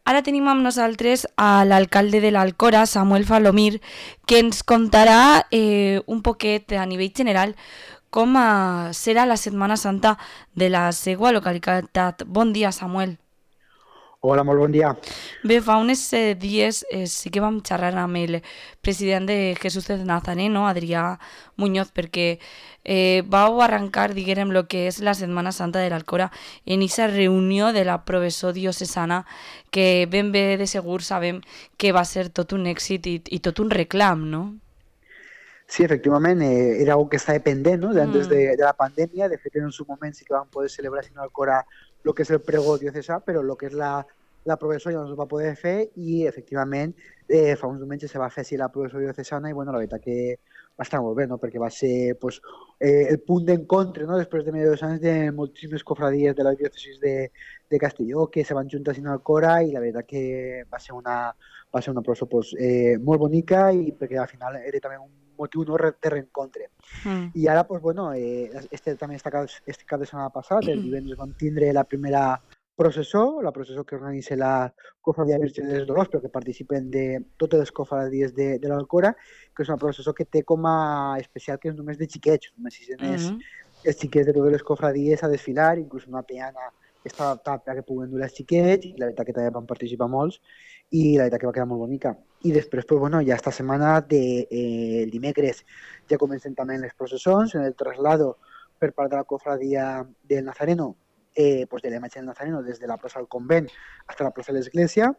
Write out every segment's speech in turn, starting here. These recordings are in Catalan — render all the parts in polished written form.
Ara tenim amb nosaltres a l'alcalde de l'Alcora, Samuel Falomir, que ens contarà un poquet a nivell general com serà la Setmana Santa de la seva localitat. Bon dia, Samuel. Hola, molt bon dia. Bé, fa uns dies sí que vam xerrar amb el president de Jesús de Nazareno, Adrià Muñoz, perquè vau arrencar, diguem, el que és la Setmana Santa de l'Alcora en aquesta reunió de la professor diocesana que ben bé de segur sabem que va ser tot un èxit i tot un reclam, no? Sí, efectivament, era algo que estava pendent, no? Antes Mm. de la pandèmia. De fet, en su moment sí que vam poder celebrar sin Alcora lo que és el pregó diocesà, però lo que és la professó ja no es va poder fer i, efectivament, fa uns diumenges se va fer així la professó diocesana i, bueno, la veritat que va estar molt bé, no? Perquè va ser pues, el punt d'encontre, no? Després de més de 2 anys de moltíssimes cofradies de la diòcesis de Castelló que se van juntar sin Alcora i la veritat que va ser una professó pues, molt bonica i perquè al final era també un motiu no de reencontre. Mm. I ara, pues, bueno, també este cap de setmana passat, el divendres vam tindre la primera processó, la processó que organitza la Cofradia Virgen dels Dolors, però que participen de totes les cofradies de l'Alcora, que és una processó que té com a especial que és només de xiquets, només sisenen Mm. els xiquets de totes les cofradies a desfilar, inclús una peana que està adaptada perquè puguen dur els xiquets, i la veritat que també van participar molts, i la veritat que va quedar molt bonica. I després, pues, bueno, ja esta setmana, el dimecres, ja comencen també les processons, en el traslado per part de la cofradia del Nazareno, pues de la imatge del Nazareno des de la plaça del Convent fins a la plaça de l'Església,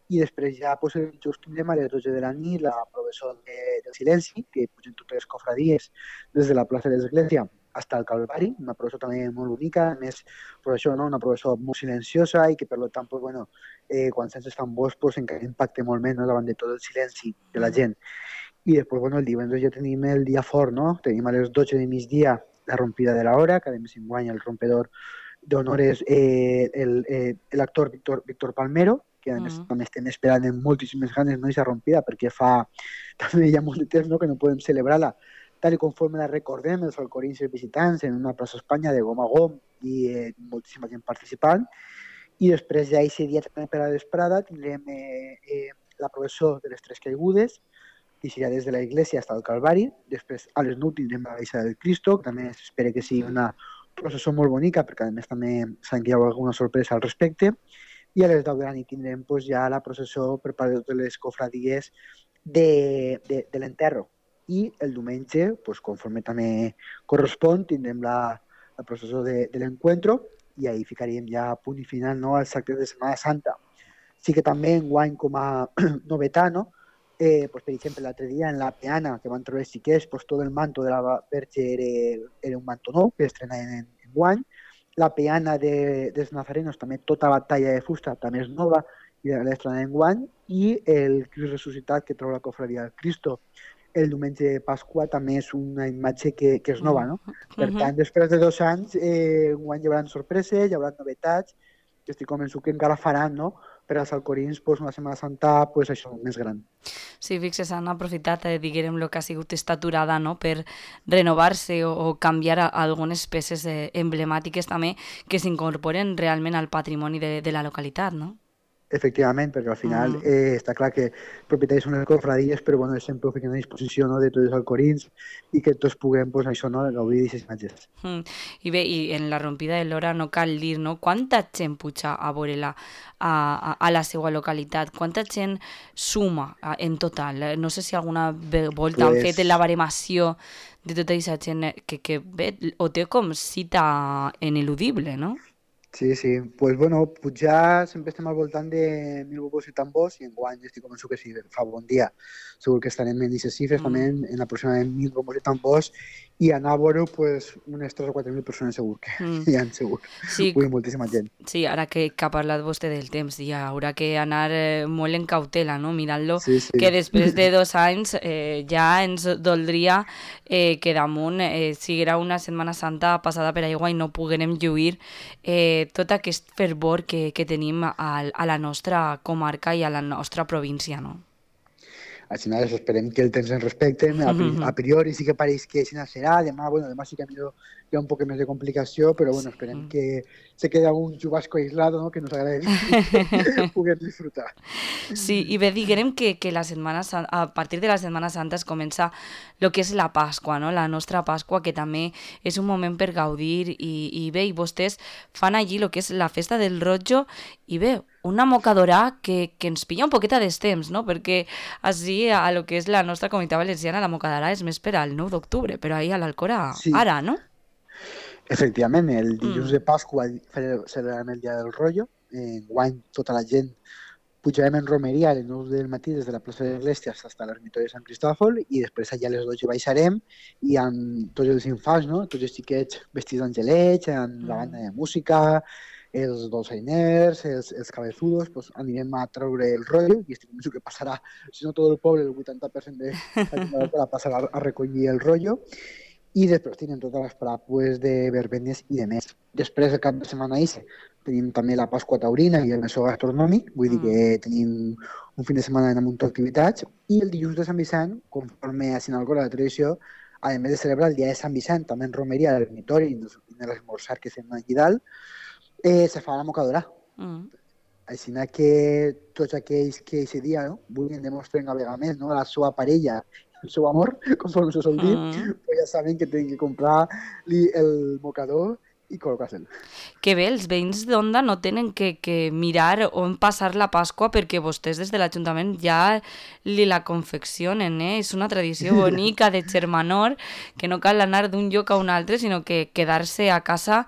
i després ja pues, el dijous tindrem a les 12 de la nit la processó del silenci, que pugen totes les cofradies des de la plaça de l'Església fins al Calvari, una processó també molt bonica, a més, processó, no? Una processó molt silenciosa i que per tant, pues, bueno, quan sents els tambors pues, encara impacta molt més, no? Davant de tot el silenci de la gent. I després, bueno, el divendres ja tenim el dia fort, no? Tenim a les 12 de migdia la rompida de l'hora, que a més enguany el rompedor d'honor és l'actor Víctor Palmero, que a més Mm. també estem esperant amb moltíssimes ganes, no, aquesta rompida, perquè fa també ja molt de temps, no, que no podem celebrar-la tal i conforme la recordem, els alcorins i els visitants en una plaça Espanya de gom a gom i moltíssima gent participant. I després ja aquest dia també per a la vesprada tindrem la processó de les Tres Caigudes, que serà des de la Iglesia fins al Calvari. Després a les 9 tindrem la Baixa del Cristo, que també s'espera que sigui una processó molt bonica, perquè a més també s'han que hi ha alguna sorpresa al respecte. I a les 10 de la nit tindrem pues, ja la processó per part de totes les cofradies de l'enterro. I el diumenge, pues, conforme també correspon, tindrem la processó de l'encuentro i ahí ficaríem ja a punt i final, no, als actes de Setmana Santa. Sí que també enguany com a novetat, no? Pues, per exemple, l'altre dia en la peana que van trobar els xiquets, pues, tot el manto de la Verge era un manto nou que estrenaven en guany. La peana dels nazarenos també tota la talla de fusta també és nova i l'estrenaven en guany, i el Crist ressuscitat que troba la cofradia del Cristo el diumenge de Pasqua també és una imatge que és nova, Mm. no? Per Mhm. tant, després de 2 anys, enguany hi haurà sorpreses, hi haurà novetats, que estic convençut que encara faran, no? Per als alcorins, pues, una Setmana Santa, pues, això, més gran. Sí, fixes, han aprofitat, diguem, el que ha sigut esta aturada, no?, per renovar-se o canviar algunes peces emblemàtiques també que s'incorporen realment al patrimoni de la localitat, no? Efectivament, perquè al final Mm. està clar que propietaris són les cofradies, però bueno, sempre ho fiquen a disposició, no, de tots els alcorins i que tots puguem, pues, això, no, gaudir d'aquestes imatges. Mm. I bé, i en la rompida de l'hora no cal dir, no?, quanta gent puja a veure-la a la seva localitat, quanta gent suma en total. No sé si alguna volta han fet la Pues baremació de tota aquesta gent que bé, ho té com cita ineludible, no? sí, sí. Pues bueno, pujar sempre estem al voltant de 1.000 bobos i tambors i enguany estic convençut que si fa bon dia segur que estarem en aquestes xifres també Mm. en aproximadament 1.000 bobos i tambors i anar a veure pues, unes 3 o 4.000 persones segur que Mm. hi ha segur. Sí, Ui, moltíssima gent. sí, ara que ha parlat vostè del temps, hi haurà que anar molt en cautela, no?, mirant-lo, Sí, que sí. després de 2 anys ja ens doldria que damunt siguera una Setmana Santa passada per aigua i no poguérem lluir tot aquest fervor que tenim a la nostra comarca i a la nostra província, no? Així nada, esperem que el temps ens respecte. A priori sí que pareix que així serà. Demà sí que hi ha un poc més de complicació, però bueno, esperem que se quede algún chubasco aislado, ¿no? Que nos agrade poder disfrutar. Sí, i bé, diguem que a partir de la Setmana Santa es comença el que és la Pasqua, no? La nostra Pasqua, que també és un moment per gaudir i bé, i vostès fan allí el que és la festa del rotllo i bé, una mocadora que ens pilla un poquet a destemps, no? Perquè així a lo que és la nostra comunitat valenciana la mocadora és més per al 9 d'octubre, però ahir a l'Alcora Sí, ara, no? efectivament, el dilluns de Pasqua celebrarem el Dia del Rotllo. Enguany tota la gent pujarem en romeria a les 9 del matí des de la plaça de l'Església fins a l'ermitó de Sant Cristòfol i després allà a les 12 baixarem i amb tots els infants, no? Tots els xiquets vestits d'angelets, amb la banda de música, els dolçainers, els cabezudos, pues anirem a treure el rotllo i estic convençut que passarà, si no tot el poble, el 80% de la gent de la passarà a recollir el rotllo i després tenim totes les paràpules de verbenes i de més. Després, el cap de setmana tenim també la Pasqua Taurina i el mesó gastronòmic, vull dir que tenim un fin de setmana amb un munt d'activitats, i el dilluns de Sant Vicent, conforme a Sinalcora la tradició, a més de celebrar el dia de Sant Vicent, també en romeria a l'ermitori i en l'esmorzar que fem allà dalt, se fa la mocadora. Així que tots aquells que aquest dia vulguin demostrar una vegada més a la seva parella el seu amor, conforme se sol dir, pues ja saben que tenen que comprar el mocador i col·locar-se'l. Que bé, els veïns d'Onda no tenen que mirar on passar la Pasqua perquè vostès des de l'Ajuntament ja li la confeccionen, eh? És una tradició bonica de germanor que no cal anar d'un lloc a un altre, sinó que quedar-se a casa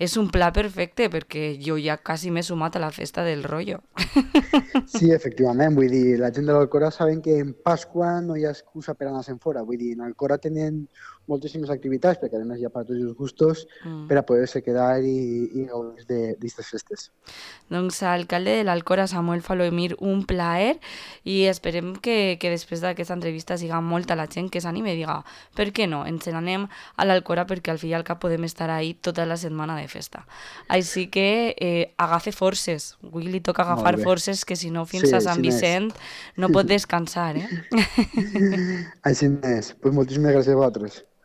és un pla perfecte perquè jo ja quasi m'he sumat a la festa del rotllo. Sí, efectivament, vull dir, la gent de l'Alcora saben que en Pasqua no hi ha excusa per anar-se'n fora, vull dir, en Alcora tenen moltíssimes activitats, perquè a més hi ha per tots els gustos, per a poder-se quedar i gaudir d'aquestes festes. Doncs alcalde de l'Alcora, Samuel Falomir, un plaer i esperem que després d'aquesta entrevista siga molta la gent que s'anime i diga, per què no, ens n'anem a l'Alcora perquè al fi i al cap podem estar ahí tota la setmana de festa. Així que agafe forces, avui li toca agafar forces que si no fins a Sant Vicent no pot descansar, eh? Així és, pues moltíssimes gràcies a vosaltres.